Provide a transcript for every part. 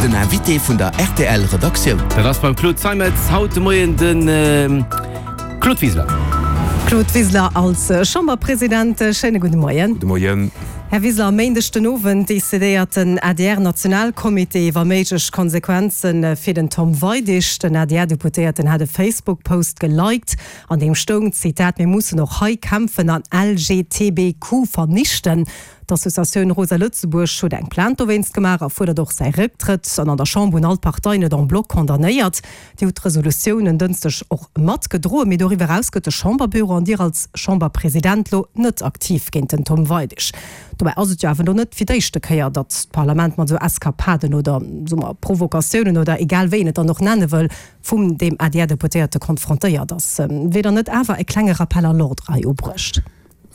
Den Invité vun der rtl Redaktioun. Dat ass beim Claude Zeimetz haut de Moien de Claude Wiseler. Claude Wiseler als Chamberpresident, schéine gudde Moien. Gudde Moien. Här Wiseler, e Méindeg den Owend decidéiert den ADR-Nationalcomité iwwer méiglech Konsequenze fir den Tom Weidig. Den ADR-Deputéierten hat e Facebook-Post geliked, an deem stoung, Zitat, Mir mussen och hei kämpfen an LGTBQ vernichten. D'Associatioun Rosa Lëtzebuerg huet eng Plainte dowéinst gemaach a fuerdert och säi Récktrëtt. An an der Chamber hunn all d'Parteien et en bloc condamnéiert. Dir hutt d'Resolutioun en Dënschdeg och matgedroen. Mee doriwwer eraus gëtt de Chamberbüro an Dir als Chamberpresident lo net aktiv géint den Tom Weidig. Dobäi ass et jo awer elo net fir d'éischte Kéier, datt d'Parlament mat esou Eskapaden oder, soe mer, Provokatiounen oder egal wéi een et dann och nenne wëll, vum deem ADR-Deputéierte konfrontéiert ass. Wier dann net awer e klenge Rappel à l'ordre hei ubruecht?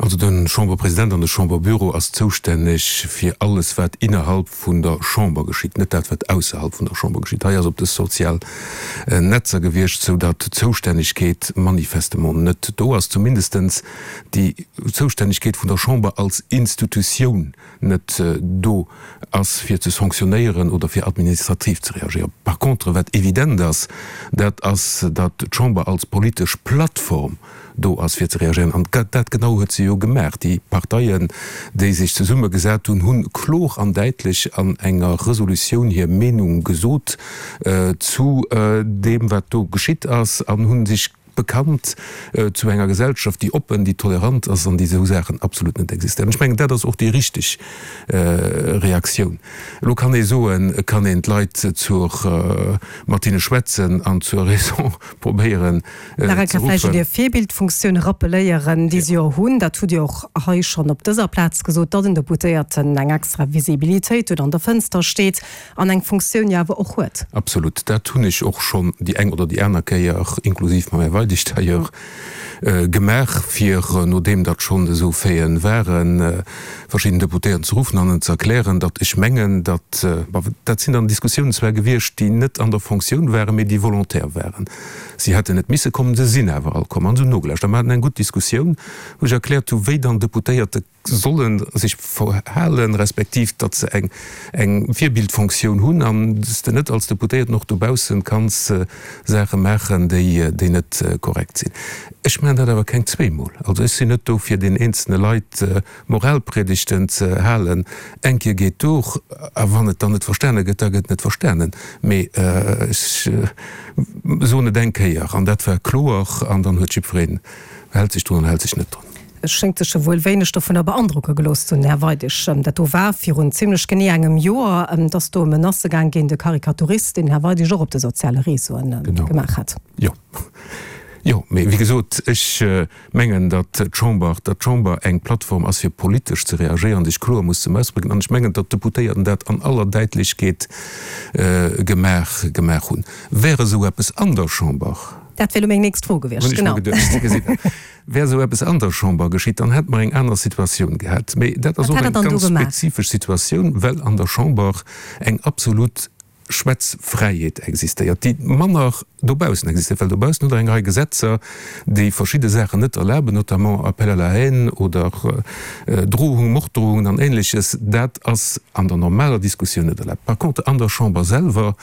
Also de Chamberpresident an de Chamberbüro ass zoustänneg fir alles wat innerhalb vun der Chamber geschitt, net dat wat ausserhalb vun der Chamber geschitt. Hei ass op de sozial Netzer gewiescht, sou datt d'Zoustännegkeet manifestement net do ass, zumindestens déi Zoustännegkeet vun der Chamber als Institutioun net do ass fir ze sanctionnéieren oder fir administrativ ze reagéieren. Par contre, wat evident ass, dat ass, datt d'Chamber als politesch Plattform do ass fir ze reagéieren. An dat genau huet se jo gemaach. Déi Parteien, déi sech zesummegesat hunn, hu kloer an däitlech an enger Resolutioun hir Meenung gesot zu deem, wat do geschitt ass, an hu sech bekannt zu enger Gesellschaft, déi oppen, déi tolerant ass an déi esou Saachen absolut net existéieren. Ech mengen, dat ass och déi richteg Reaktioun. Elo kann ee soen, et kann een d'Leit zur, mat hinne schwätzen an zur Raison probéieren ze Nach eng Kéier vläicht un ruffen. Hir Virbildfunktioun rappeléieren, déi se jo hunn. Dat hutt Dir och hei schonn op dëser Plaz gesot, datt en Deputéierten eng extra Visibilitéit huet, an der Fënster steet an eng Funktioun jo awer och huet. Absolut. Dat hunn ech och schonn déi eng oder déi aner Kéier, inklusiv mam Här Weidig d'ailleurs, gemaach, fir, nodeem datt schonn esou Faiten waren, verschidden Deputéierten ze ruffen an en ze erklären, datt ech mengen, datt, bon, dat sinn dann Diskussiounen zwar gewiescht, déi net an der Fonctioun waren, mee déi volontaire waren. Si hätten net misse kommen, se sinn awer all komm an se hunn nogelauschtert. A mer haten eng gutt Diskussioun, wou ech erkläert hu wéi dann Deputéierte solle sech verhalen, respektiv datt se eng eng Virbildfonctioun hunn an s de net als Deputéierten och dobaussen kanns Saache maachen, déi déi net korrekt sinn. Ech maachen dat awer keng zweemol. Also ech sinn net do fir den eenzelne Leit Moralpredigten ze halen. Eng Kéier geet duer, a wann et dann net verstane gëtt, da gëtt et net verstanen. Mee ech soen et eng Kéier an dat war kloer an dann huet jiddwereen, hält sech drun an hält sech net drun. Et schéngt sech jo wuel wéineg dovunner beandrocke gelooss ze hunn, Här Weidig. Dat do war virun zimlech genee engem Joer, dass do Menacë gaang géint e Karikaturist, deen den Här Weidig och op de soziale Réseauen gemaach hat. Jo, jo, mee wéi gesot, ech mengen, datt d'Chamber, datt d'Chamber eng Plattform ass, fir politesch ze reagéieren, sech kloer muss zum Ausdrécken. An ech mengen, datt d'Deputéierten dat an aller Däitlechkeet gemaach, gemaach hunn. Wär esou eppes an der Chamber. Dat wär elo meng nächst Fro gewiescht, Hunn ech mer geduecht. Sie gesinn. Wär esou eppes an der Chamber geschitt, dann hätte mer eng aner Situatioun gehat. Mee dat ass Wat och hätt Der eng dann do ganz gemaach? spezifesch Situatioun, well an der Chamber eng absolut Schwätzfräiheet existéiert, déi manner dobaussen existéiert, well dobaussen hutt Der eng Rei Gesetzer, déi verschidde Saachen net erlaben, notamment Appel à la haine oder Drohungen, Morddrohungen an Ähnleches. Dat ass an der normaler Diskussioun net erlaabt. Par contre, an der Chamber selwer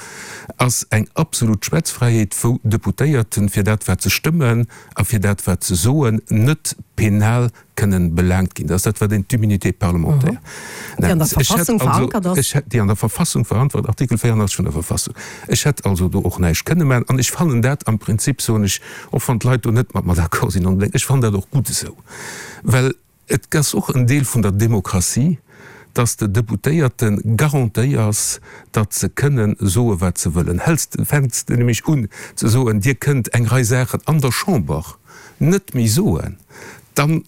ass eng absolut Schwätzfräiheet, wou Deputéierten fir dat, wat se stëmmen a fir dat, wat se soen, net penal kënnen belaangt ginn. Dat ass dat, wat een d'Immunité parlementaire Déi an der nennt. Ech hätt Verfassung also, verankert ass. ech hätt, déi an der Verfassung verankert, Artikel 84 vun der Verfassung. Ech hätt also do och näischt kënne maachen. An ech fannen dat am Prinzip, soen ech, och wann d'Leit do net mat mer d'accord sinn onbedéngt, ech fannen dat och gutt esou, well et ass och en Deel vun der Demokratie, dass de Deputéierte garantéiers, datt se kënnen soe wat se wëllen. Häls, fänks de nämlech un ze soen, Dir kënnt eng Rei Saachen an der Chamber net méi soen, dann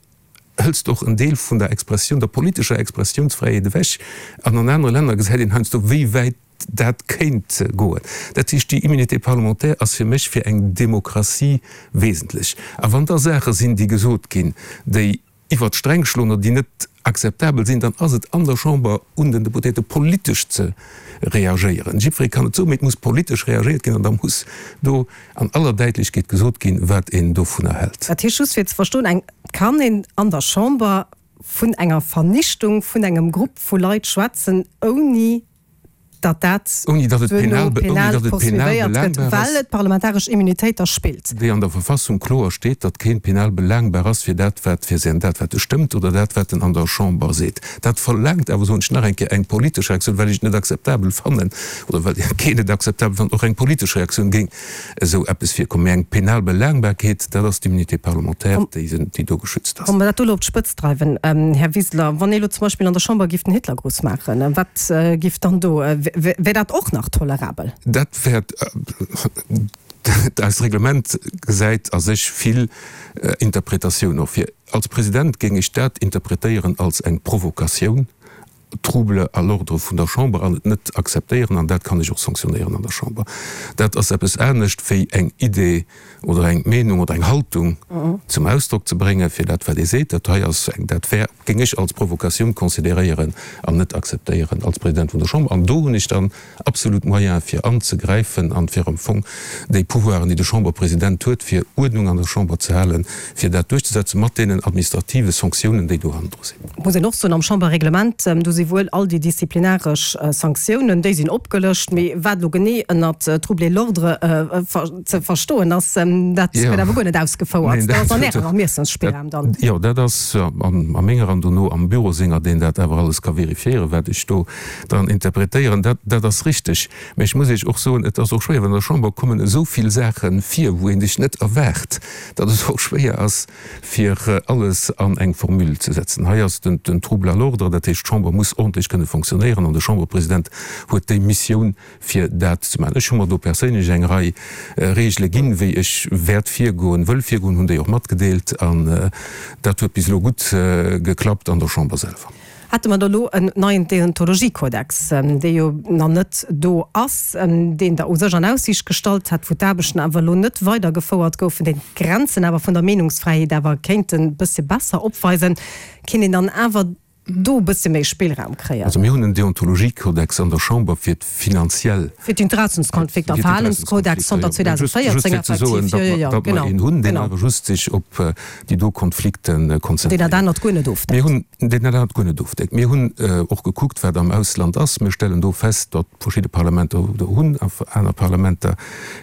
hëls de och en Deel vun der Expressioun, der politescher Expressiounsfräiheet ewech. An an anere Länner gesäit een heiansdo, wéi wäit dat kéint goen. Dat heescht, déi Immunité parlementaire ass fir mech fir eng Demokratie wesentlech. A wann da Saache sinn, déi gesot ginn, déi iwwert d'Sträng schloen oder déi net akzeptabel sinn, dann ass et an der Chamber un den Deputéierte politesch ze reagéieren. Jiddweree kann et soen, mee et muss politesch reagéiert ginn an da muss do an aller Däitlechkeet gesot ginn, wat een dovunner hält. Dat heescht, just fir ze verstoen, eng, kann een an der Chamber vun enger Vernichtung vun engem Grupp vu Leit schwätzen, ouni. datt dat duerno penal poursuivéiert gëtt, well et d'parlamentaresch Immunitéit da spillt. Déi an der Verfassung kloer steet, datt keen penal belaangbar ass fir dat, wat fir säin, dat wat e stëmmt oder dat wat en an der Chamber seet. Dat verlaangt awer, soen ech nach eng Kéier, eng politesch Reaktioun, well ech et net akzeptabel fannen oder well keen et akzeptabel fannt, och eng politesch Reaktioun géing esou eppes virkommen. Mee eng penal Belaangbarkeet, dat ass d'Immunité parlementaire, déi déi do geschützt ass. Wa mer dat do elo op d'Spëtz dreiwen, Här Wiseler, wann ee elo zum Beispill an der Chamber giff den Hitlergruss maachen, wat giff dann do, wär dat och nach tolerabel? Dat wär, eist Reglement gesäit a sech vill Interpretatioun och vir. Als President géing ech dat interpretéieren als eng Provokatioun. Trouble à l'ordre vun der Chamber an et net akzeptéieren, an dat kann ech och sanktionéieren an der Chamber. Dat ass eppes anescht wéi eng Idee oder eng Meenung oder eng Haltung zum Ausdrock ze bréngen, fir dat wat ee seet. Dat hei ass eng, dat wär, géing ech als Provokatioun consideréieren an net akzeptéieren als President vun der Chamber. An do hunn ech dann absolut Moyens fir anzegräifen an fir am Fong déi Pouvoiren, déi de Chamberpresident huet, fir Uerdnung an der Chamber ze halen, fir dat duerchzesetzen, mat deenen administrative Sanktiounen, déi do hannendru sinn. Et muss een och soen, am Chamberreglement, do si wuel all déi disziplinaresch Sanktiounen, déi sinn opgelëscht, mee wat elo genee ënnert troubler l'ordre ze verstoen ass, dat gëtt awer guer net ausgefouert. Dat ass an Ärem Ermiessensspillraum dann. Jo, dat ass a menger an dono am Büro senger, deen dat awer alles ka vérifiéieren, wat ech do dran interpretéieren. Dat, dat ass richteg. Mä ech muss Iech och soen, et ass och schwéier, well an der Chamber kommen esou vill Saache vir, wou ee sech net erwaart, datt et och schwéier ass, fir alles an eng Formule ze setzen. Hei ass den, den Trouble à l'ordre, dat heescht, d'Chamber muss ordentlech kënne fonctionnéieren an de Chamberpresident huet déi Missioun, fir dat ze maachen. Ech hu mer do perséinlech eng Rei Regele ginn, wéi ech wäert virgoen, wëll virgoen, hunn déi och matgedeelt an dat huet bis elo gutt geklappt an der Chamber selwer. Hätte mer da lo en neien Deontologiekodex, dee jo nach net do ass, deen Der u sech an Aussiicht gestallt hat, wou d'Aarbechten awer elo net weidergefouert goufen, deen d'Grenzen awer vun der Meenungsfräiheet awer kéint e bëssche besser opweisen, kéint een dann awer do e bëssche méi Spillraum kréien? Also mir hunn en Deontologiekodex an der Chamber fir d'finanziell. Fir d'Interessenskonflikter, Verhalenskodex zanter 2014 effektiv, jo, jo, jo, genau. Datt mer een hunn, deen awer just sech op déi do Konflikte konzentréiert. Deen dat anert guer net ofdeckt. Mir hunn, deen dat anert guer net ofdeckt. Mir hunn och gekuckt, wat am Ausland ass. Mir stellen do fest, datt verschidde Parlamenter do hunn a aner Parlamenter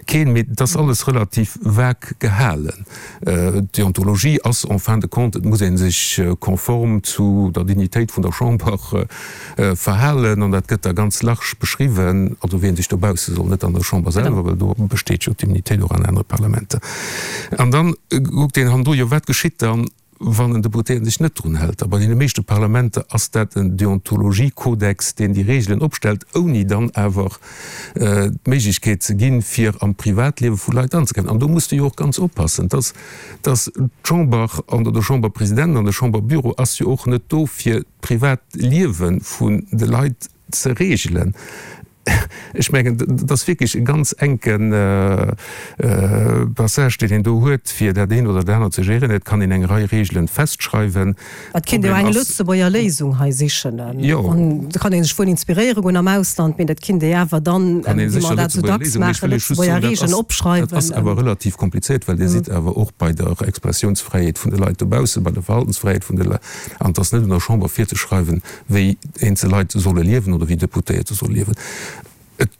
keen. Mee et ass alles relativ vague gehalen. D'Deontologie ass en fin de compte, et muss ee sech konform zu der Dignitéit vun der Chamber verhalen an dat gëtt da ganz large beschriwwen, also wien sech dobausse soll, net an der Chamber selwer, well do besteet jo d'Immunitéit och an anere Parlamenter. An dann kuckt een hannendru, jo wat geschitt dann, wann en Deputéierten sech net drun hält? A bei deene meeschte Parlamenter ass dat en Deontologiekodex, deen déi Regelen opstellt, ouni dann awer d'Méiglechkeet ze ginn, fir am Privatliewe vu Leit anzegräifen. An do muss de jo och ganz oppassen, dass, dass d'Chamber an der de Chamberpresident an de Chamberbüro ass jo och net do, fir d'Privatliewe vun de Leit ze regelen. Ech mengen, dat ass wierklech e ganz enke Passage, deen een do huet, fir dat eent oder dat anert ze géréieren. Et kann een eng Rei Regelen festschreiwen. Et kéint ee jo eng Lëtzebuerger Léisung hei sichen. An do kann ee sech wuel inspiréiere goen am Ausland, mee dat kinnt ee awer dann, wéi mer dat esou dacks maachen, Lëtzebuerger Regeln opschreiwen. Dat ass awer relativ komplizéiert, well Dir sidd awer och bei der Expressiounsfräiheet vun de Leit dobaussen, bei der Verhaltensfräiheet vun de Leit. An et ass net un der Chamber virzeschreiwen, wéi eenzel Leit solle liewen oder wéi Deputéierte solle liewen. Et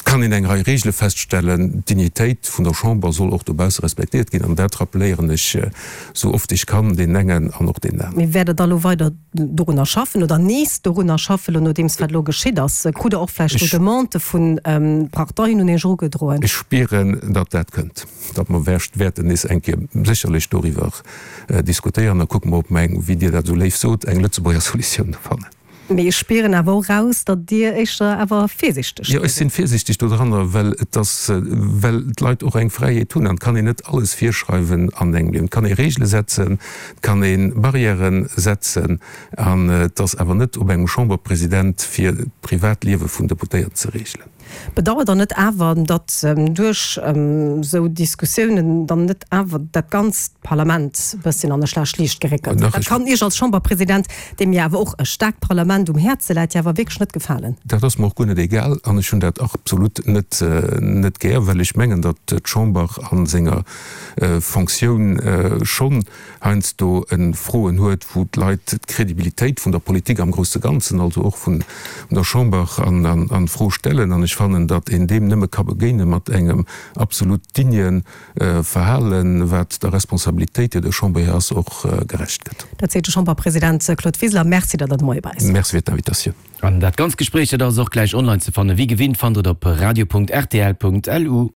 kann een eng Rei Regele feststellen. D'Dignitéit vun der Chamber soll och dobausse respektéiert ginn. An dat rappeléieren ech esou oft ech kann, deenen engen an och deenen aneren. Mee wäert Der da elo weider dorunner schaffen oder nees dorunner schaffen, elo nodeems wat elo geschitt ass? Krut Der och vläicht elo Demandë vu Parteien un Iech erugedroen? Ech spieren, datt dat kënnt. Datt mer wäerten nees eng Kéier sécherlech doriwwer diskutéieren. Da kucke mer, ob mer eng, wéi Dir dat esou léif sot, eng Lëtzebuerger Solutioun do fannen. Mee ech spieren awer och eraus, datt Dir éischter awer virsichteg do Jo, ech sinn virsichteg dodranner, well et ass, well d'Leit och eng Fräiheet hunn an et kann een net alles virschreiwen an engem Liewen. Et kann ee Regele setzen, et kann ee Barrièren setzen an et ass awer net op engem Chamberpresident, fir d'Privatliewe vun Deputéierten ze regelen. Bedauert Der net awer, datt duerch esou Diskussiounen dann net awer dat ganzt Parlament e bësschen an e schlecht Liicht geréckelt gëtt? Dat kann Iech als Chamberpresident, deem jo awer och e staarkt Parlament. Moment um Häerze läit, dir awer wierklech net gefalen. Dat ass mer och guer net egal an ech hunn dat absolut net net gär, well ech mengen, datt d'Chamber a senger Fonctioun schonn heiansdo Froen huet, wou d'Leit d'Credibilitéit vun der Politik am grousse Ganzen, also och vun der Chamber, a Fro stellen. An ech fannen, datt een deem nëmme ka begéine mat engem absolut digne Verhalen, wat der Responsabilitéit, déi der Chamber hir ass, och gerecht gëtt. Dat seet de Chamberpresident Claude Wiseler. Merci, datt Der de Moie bei eis waart. Merci fir d'Invitatioun. An dat ganzt Gespréich, dat ass och gläich online ze fannen. Wéi gewinnt fannt Der et op radio.rtl.lu.